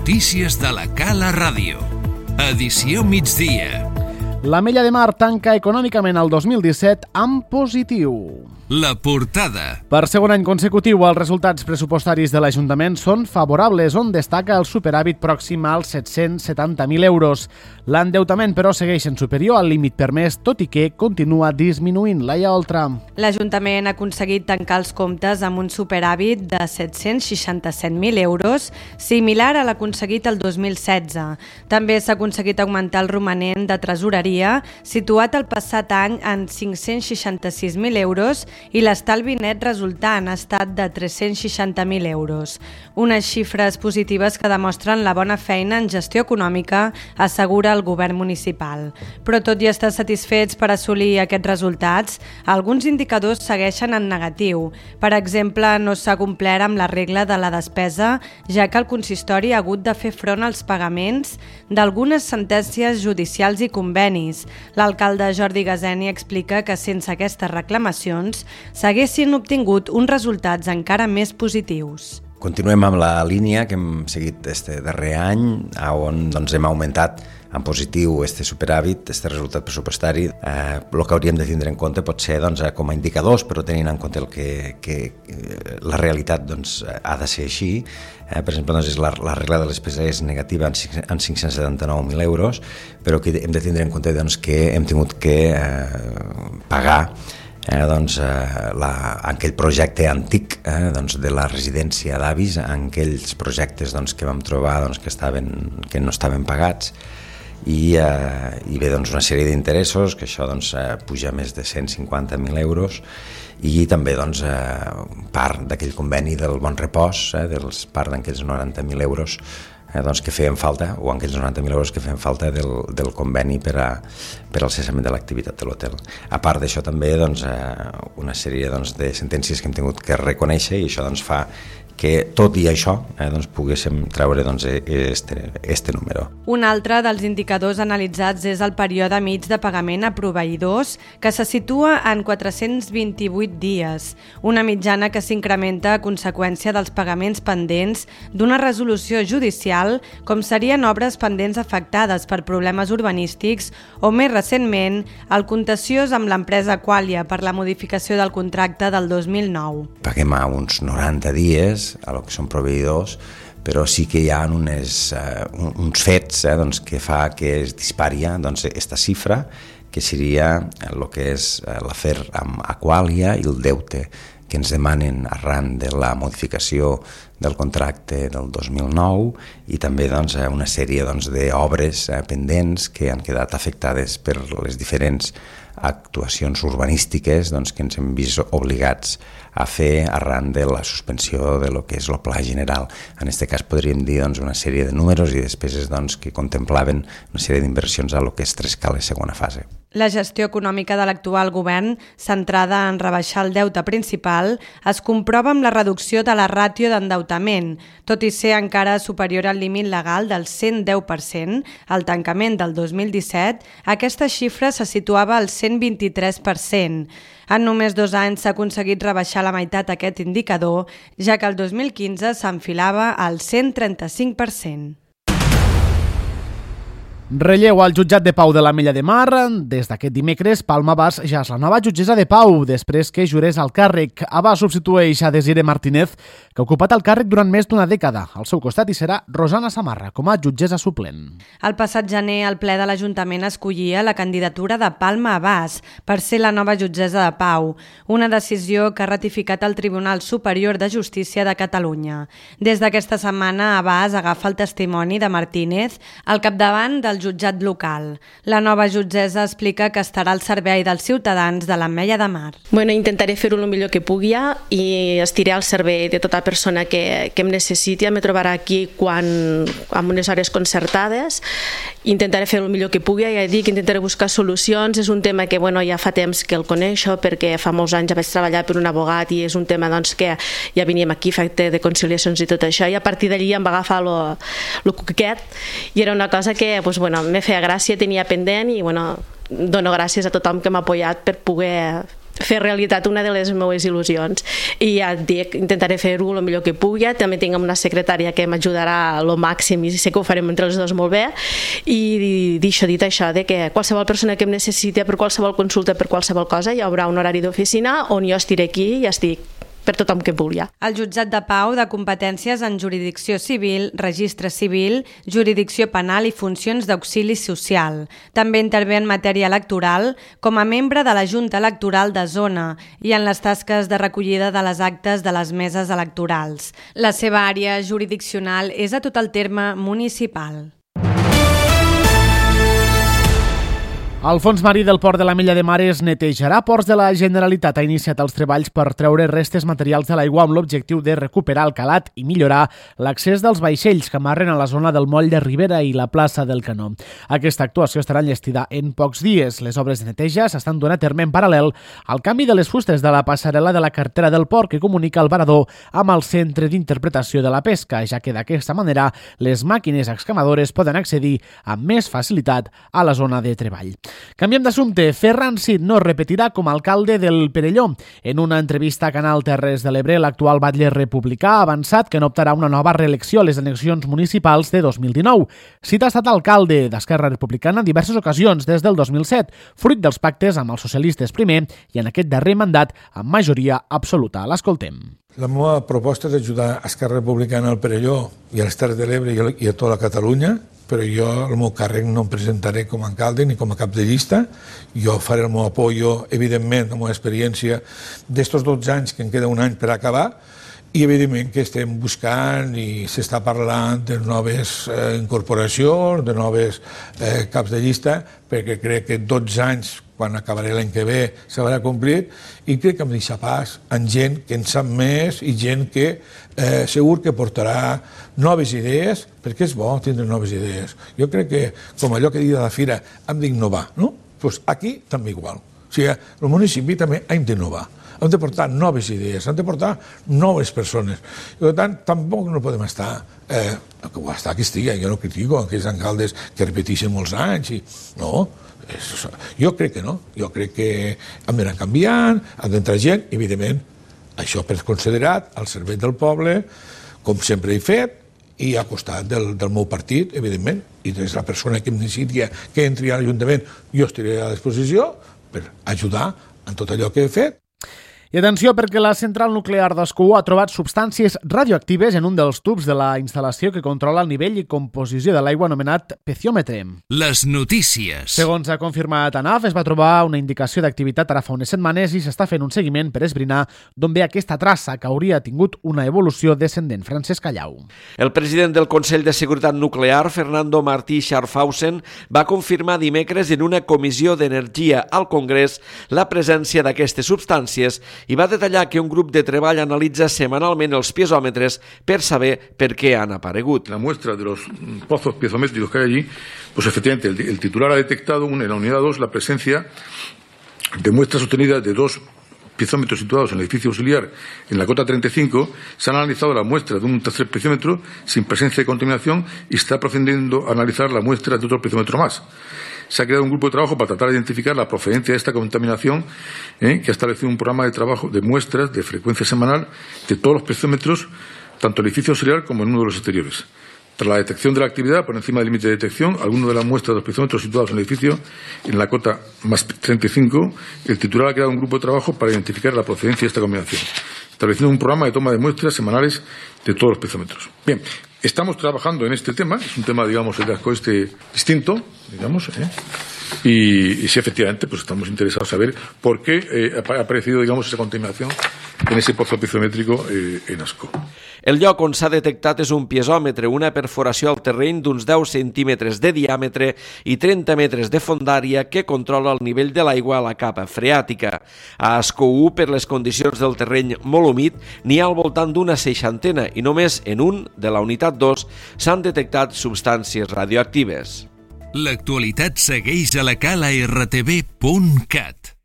Notícies de la Cala Ràdio. Edició migdia. L'Ametlla de Mar tanca econòmicament el 2017 amb positiu. La portada. Per segon any consecutiu, els resultats pressupostaris de l'Ajuntament són favorables, on destaca el superàvit pròxim als 770.000 euros. L'endeutament, però, segueix en superior al límit permès, tot i que continua disminuint. Laia Oltra. L'Ajuntament ha aconseguit tancar els comptes amb un superàvit de 767.000 euros, similar a l'aconseguit el 2016. També s'ha aconseguit augmentar el romanent de tresoreria, situat el passat any en 566.000 euros, i l'estalvi net resultant ha estat de 360.000 euros. Unes xifres positives que demostren la bona feina en gestió econòmica, assegura el govern municipal. Però tot i estar satisfets per assolir aquests resultats, alguns indicadors segueixen en negatiu. Per exemple, no s'ha complert amb la regla de la despesa, ja que el consistori ha hagut de fer front als pagaments d'algunes sentències judicials i convenis. L'alcalde Jordi Gaseni explica que sense aquestes reclamacions s'haguessin obtingut uns resultats encara més positius. Continuem amb la línia que hem seguit este darrer any, on hem augmentat en positiu este superàvit, este resultat pressupostari. El que hauríem de tindre en compte pot ser com a indicadors, però tenint en compte que la realitat ha de ser així. Per exemple, la regla de les despesa és negativa en 579.000 euros, però que hem de tindre en compte que hem tingut que pagar aquell projecte antic de la residència d'avis, aquells projectes que vam trobar que no estaven pagats, i ve una sèrie d'interessos, que això puja més de 150.000 euros, i també part d'aquell conveni del Bon Repòs, part d'aquells 90.000 euros que feien falta, o aquells 90.000 euros que feien falta del conveni per al cessament de l'activitat de l'hotel. A part d'això també una sèrie de sentències que hem tingut que reconèixer, i això fa que tot i això poguéssim treure este número. Un altre dels indicadors analitzats és el període mig de pagament a proveïdors, que se situa en 428 dies, una mitjana que s'incrementa a conseqüència dels pagaments pendents d'una resolució judicial, com serien obres pendents afectades per problemes urbanístics o, més recentment, el contenciós amb l'empresa Qualia per la modificació del contracte del 2009. Paguem a uns 90 dies a lo que són proveïdors, però sí que hi ha uns fets que fa que es dispari esta xifra, que seria el que és l'afer amb Aqualia i el deute que ens demanen arran de la modificació del contracte del 2009, i també una sèrie d'obres pendents que han quedat afectades per les diferents actuacions urbanístiques que ens hem vist obligats a fer arran de la suspensió de lo que és el Pla General. En aquest cas podríem dir una sèrie de números i despeses que contemplaven una sèrie d'inversions a lo que és Trescales segona fase. La gestió econòmica de l'actual govern, centrada en rebaixar el deute principal, es comprova amb la reducció de la ràtio d'endeutament, tot i ser encara superior al límit legal del 110%, al tancament del 2017, aquesta xifra se situava al 123%. En només 2 anys s'ha aconseguit rebaixar la meitat aquest indicador, ja que el 2015 s'enfilava al 135%. Relleu al jutjat de Pau de l'Ametlla de Mar. Des d'aquest dimecres, Palma Abàs ja és la nova jutgessa de Pau, després que jurés al càrrec. Abàs substitueix a Desiree Martínez, que ha ocupat el càrrec durant més d'una dècada. Al seu costat hi serà Rosana Samarra, com a jutgessa suplent. El passat gener, el ple de l'Ajuntament escollia la candidatura de Palma Abàs per ser la nova jutgessa de Pau, una decisió que ha ratificat el Tribunal Superior de Justícia de Catalunya. Des d'aquesta setmana, Abàs agafa el testimoni de Martínez al capdavant del jutjat local. La nova jutgessa explica que estarà al servei dels ciutadans de l'Ametlla de Mar. Intentaré fer-ho el millor que pugui i estiré al servei de tota persona que em necessiti. Me trobarà aquí amb unes hores concertades. Intentaré fer el millor que pugui, ja dic, intentaré buscar solucions. És un tema que ja fa temps que el coneixo, perquè fa molts anys ja vaig treballar per un abogat i és un tema que ja veníem aquí, efecte de conciliacions i tot això, i a partir d'allí em va agafar el cuquet i era una cosa que me feia gràcia, tenia pendent, i dono gràcies a tothom que m'ha apoyat per poder fer realitat una de les meves il·lusions. I ja et dic, intentaré fer-ho el millor que pugui. També tinc una secretària que m'ajudarà al màxim i sé que ho farem entre els dos molt bé. I dit això, de que qualsevol persona que em necessiti per qualsevol consulta, per qualsevol cosa, hi haurà un horari d'oficina on jo estiré aquí i estic per tothom que vulgui. El Jutjat de Pau de competències en jurisdicció civil, registre civil, jurisdicció penal i funcions d'auxili social. També intervé en matèria electoral com a membre de la Junta Electoral de Zona i en les tasques de recollida de les actes de les meses electorals. La seva àrea jurisdiccional és a tot el terme municipal. El Fons Marí del Port de l'Ametlla de Mar es netejarà. Ports de la Generalitat ha iniciat els treballs per treure restes materials de l'aigua amb l'objectiu de recuperar el calat i millorar l'accés dels vaixells que amarren a la zona del moll de Ribera i la plaça del Canó. Aquesta actuació estarà enllestida en pocs dies. Les obres de neteja s'estan donant a terme en paral·lel al canvi de les fustes de la passarel·la de la carretera del port que comunica el varador amb el centre d'interpretació de la pesca, ja que d'aquesta manera les màquines excamadores poden accedir amb més facilitat a la zona de treball. Canviem d'assumpte. Ferran Cid no repetirà com a alcalde del Perelló. En una entrevista a Canal Terres de l'Ebre, l'actual batlle republicà ha avançat que no optarà una nova reelecció a les eleccions municipals de 2019. Cid ha estat alcalde d'Esquerra Republicana en diverses ocasions des del 2007, fruit dels pactes amb els socialistes primer i en aquest darrer mandat amb majoria absoluta. L'escoltem. La meva proposta és ajudar Esquerra Republicana al Perelló i a les Terres de l'Ebre i a tota la Catalunya, però jo el meu càrrec no em presentaré com a alcalde ni com a cap de llista. Jo faré el meu apoyo, evidentment, la meva experiència d'estos 12 anys, que em queda un any per acabar, i evidentment que estem buscant i s'està parlant de noves incorporacions, de noves caps de llista, perquè crec que 12 anys, quan acabaré l'any que ve, s'haurà complit, i crec que em deixa pas en gent que en sap més i gent que segur que portarà noves idees, perquè és bo tindre noves idees. Jo crec que, com allò que diu de la fira, hem d'innovar, no? Doncs aquí també igual. O sigui, el municipi també hem d'innovar. Hem de portar noves idees, hem de portar noves persones. I per tant, tampoc no podem estar, que estigui, jo no critico aquells alcaldes que repeteixen molts anys, no. Jo crec que no. Jo crec que hem d'anar canviant, hem d'entrar gent, evidentment, això per considerat al servei del poble, com sempre he fet, i al costat del meu partit, evidentment, i des de la persona que em necessiti que entri a l'Ajuntament, jo estaré a disposició per ajudar en tot allò que he fet. I atenció, perquè la central nuclear d'Ascó ha trobat substàncies radioactives en un dels tubs de la instal·lació que controla el nivell i composició de l'aigua anomenat peziòmetre. Les notícies. Segons ha confirmat ANAF, es va trobar una indicació d'activitat ara fa unes setmanes i s'està fent un seguiment per esbrinar d'on ve aquesta traça que hauria tingut una evolució descendent. Francesc Callau. El president del Consell de Seguretat Nuclear, Fernando Martí Scharfhausen, va confirmar dimecres en una comissió d'energia al Congrés la presència d'aquestes substàncies i va detallar que un grup de treball analitza semanalment els piezòmetres per saber per què han aparegut. La muestra de los pozos piezométricos que hay allí, pues efectivamente el titular ha detectado en la unidad 2 la presencia de muestras sostenidas de 2 piezómetros situados en el edificio auxiliar en la cota 35. Se han analizado la muestra de un tercer piezómetro sin presencia de contaminación y se está procediendo a analizar la muestra de otro piezómetro más. Se ha creado un grupo de trabajo para tratar de identificar la procedencia de esta contaminación, que ha establecido un programa de trabajo de muestras de frecuencia semanal de todos los piezómetros, tanto en el edificio auxiliar como en uno de los exteriores. Tras la detección de la actividad por encima del límite de detección, alguno de las muestras de los piezómetros situados en el edificio, en la cota más 35, el titular ha creado un grupo de trabajo para identificar la procedencia de esta combinación, estableciendo un programa de toma de muestras semanales de todos los piezómetros. Bien, estamos trabajando en este tema, es un tema, digamos, el de Ascó distinto, digamos, y sí, efectivamente, pues estamos interesados en saber por qué ha aparecido, digamos, esa contaminación en ese pozo piezométrico en Ascó. El lloc on s'ha detectat és un piezòmetre, una perforació al terreny d'uns 10 centímetres de diàmetre i 30 metres de fondària que controla el nivell de l'aigua a la capa freàtica. A Ascó 1, per les condicions del terreny molt humit, n'hi ha al voltant d'una 60 i només en un, de la unitat 2, s'han detectat substàncies radioactives. L'actualitat segueix a la cala rtv.cat.